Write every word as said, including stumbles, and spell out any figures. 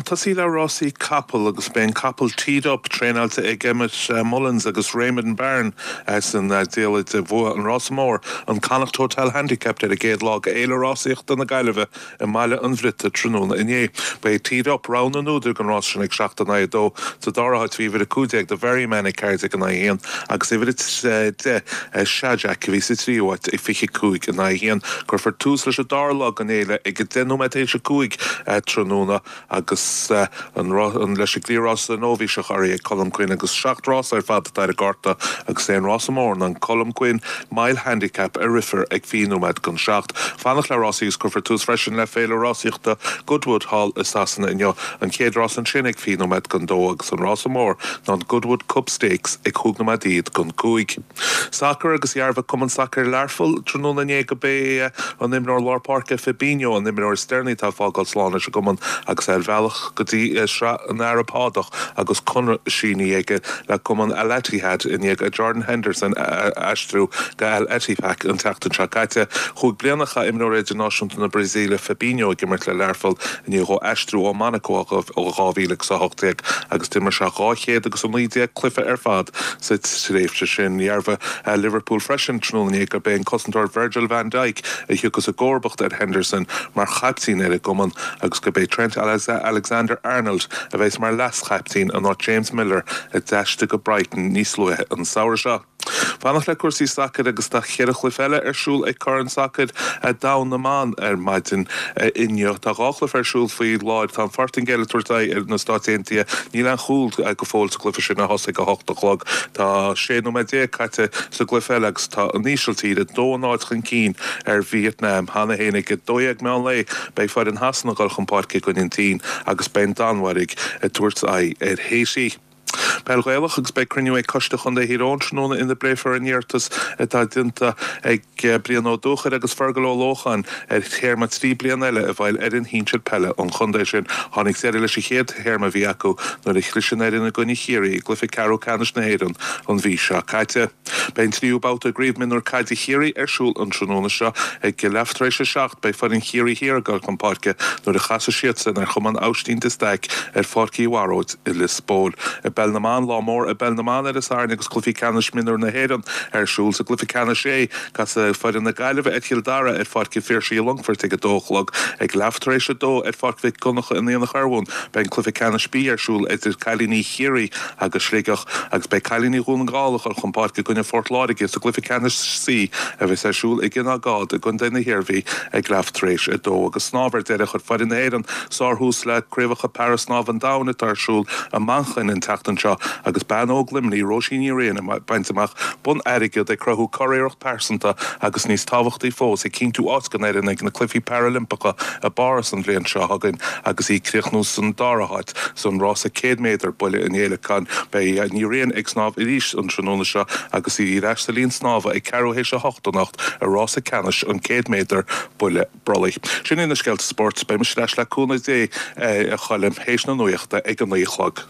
Tosaí le rásaí capall agus beidh an capall Teed Up traenáilte ag Emmet uh, Mullins agus Raymond Byrne san uh, diallait a bhuaigh an rása mór an Connacht Hotel Handicap ar an gcéad lá d'fhéile rásaíochta na Gaillimhe i mBaile an Bhriotaigh tráthnóna inné. Ba é Teed Up rogha na n-údar don rás sin ag seacht in aghaidh a dó sa dara háit bhí uimhir a cúig déag The Very Man ag ceathair déag in aghaidh a haon agus uimhir a deich Shajak bhí sa tríú háit ag fiche cúig in aghaidh a haon cuirfear tús leis an dara lá den fhéile ag deich nóiméad théis a cúig tráthnóna agus an an leis an gcliathrás nóibhíseach urraithe ag Colm Quinn agus seacht rás ar fad ar an gcárta agus é an rása mór an Colm Quinn Mile Handicap a rithfear ag fiche nóiméad don seacht. Fanacht le rásaí agus cuirfear tús freisin le féile rásaíochta Goodwood thall i Sasana inniu an chéad rás ansin ag fiche nóiméad don dó agus an rása mór ná an Goodwood Cup Stakes ag cúig nóiméad don cúig. Sacar agus dhearbhaigh Cumann Sacair Learpholl tráthnóna inné gurb é an t-imreoir lár páirce Fabinho an t-imreoir is deireanaí atá ag fágáil slán leis an gcumann agus ar bhealach go dtí Srath na nArab Shádach agus conradh sínithe aige le cumann Al Ittihad i ndiaidh Jordan Henderson aistriú go Al Ettifaq an tseachtain seo caite. Chúig bliana a chaith imreoir idirnáisiúnta na Brasaíle Fabinho ag imirt le Learpholl i ndiaidh dó aistriú ó Monaco ó dhá mhíle a hocht déag agus d'imir sé dhá chéad agus a naoi déag cluiche ar fad sa tréimhse sin dhearbhaigh Liverpool freisin tráthnóna inné gurb é an cosantóir Virgil van Dijk a thiocfas i gcomharbacht ar Henderson mar chaptaen ar an gcumann agus gurb é Trent Alexander Arnold a bheas mar leaschaptaen in áit James Milner a d'aistrigh go Brighton níos luaithe an samhradh seo. Fanacht le cúrsaí sacair agus tá ceithre chluiche eile ar siúl ag Corn Sacair Domhanda na mBan ar maidin inniu Tá dhá chluiche ar siúl faoi láthair tá an Phortaingéil ag tabhairt aghaidh ar na Stáit Aontaithe níl aon chúl go fóill sa gcluiche sin a thosaigh a hocht a chlog Tá sé nóiméad déag caite sa gcluiche eile agus tá an Ísiltír dó náid chun cinn ar Vietnam cheana féin ag dó dhéag meán lae beidh foireann Shasana ag dul chun páirce i gcoinne an tSín agus beidh an Danmhairg ag tabhairt aghaidh ar Haiti. Peil Ghaelach agus beidh cruinniú ag Coiste Chontae Thír Eoghain tráthnóna ina bpléifear an iarratas atá déanta ag Brian Ó Dúchair agus Fergal Ó Lócháin ar théarma trí bliana eile a bheith ar fhoireann shinsir peile an chontae sin. Tháinig deireadh leis an chéad théarma a bhí acu nuair a chlis an fhoireann i gcoinne Chiarraí i gcluiche ceathrú ceannais na hÉireann an mhí seo caite. Beidh an tríú babhta gCraobh Mionúr Caide Chiarraí ar siúl an tráthnóna seo ag leath tar éis a seacht beidh foireann Chiarraí Thiar ag dul chun páirce nuair a chasfaidh siadsan ar Chumann Aibhistín de Staic ar Pháirc Uí Bharóid i Lios Póil. I bpeil na mban lá mór i bpeil na mban ar an Satharn agus cluichí ceannais mionúr na hÉireann ar siúl sa gcluiche ceannais A casfaidh foireann na Gaillimhe ar Chill Dara ar Pháirc an Phiarsaigh i Longfort ag a dó a chlog ag leath tar éis a dó ar Pháirc Mhic Donncha in Aonach Urmhumhan beidh an cluiche ceannais B ar siúl idir cailíní Chiarraí agus Sligeach agus beidh cailíní Dhún na nGall ag dul chun páirce i gcoinne Phort Láirge sa gcluiche ceannais C a bheas ar siúl i gCionn Agád i gContae na hIarmhí ag leath tar éis a dó agus snámh ar deireadh chuir foireann na hÉireann sárthús le craobhacha para-snámh an domhain atá ar siúl i Manchain an tseachtain seo agus bean óg Luimnigh Róisín Ní Riain ag baint amach bonn airgid ag cruthú curiarracht pearsanta agus níos tábhachtaí fós ag cinntiú áit don fhoireann ag na Cluichí Parailimpeacha i bPáras an bhliain seo chugainn agus í ag críochnú san dara háit san rása céad méadar buille an fhéileacáin beidh Ní Riain ag snámh arís an tráthnóna seo agus í ar ais sa linn snámha ag ceathrú théis a hocht anocht i rása ceannais an céad méadar buille brollaigh. Sin é na scéalta spóirt beidh mise ar ais le cúnamh Dé a Choilm théis na nuachta ag an naoi a chlog.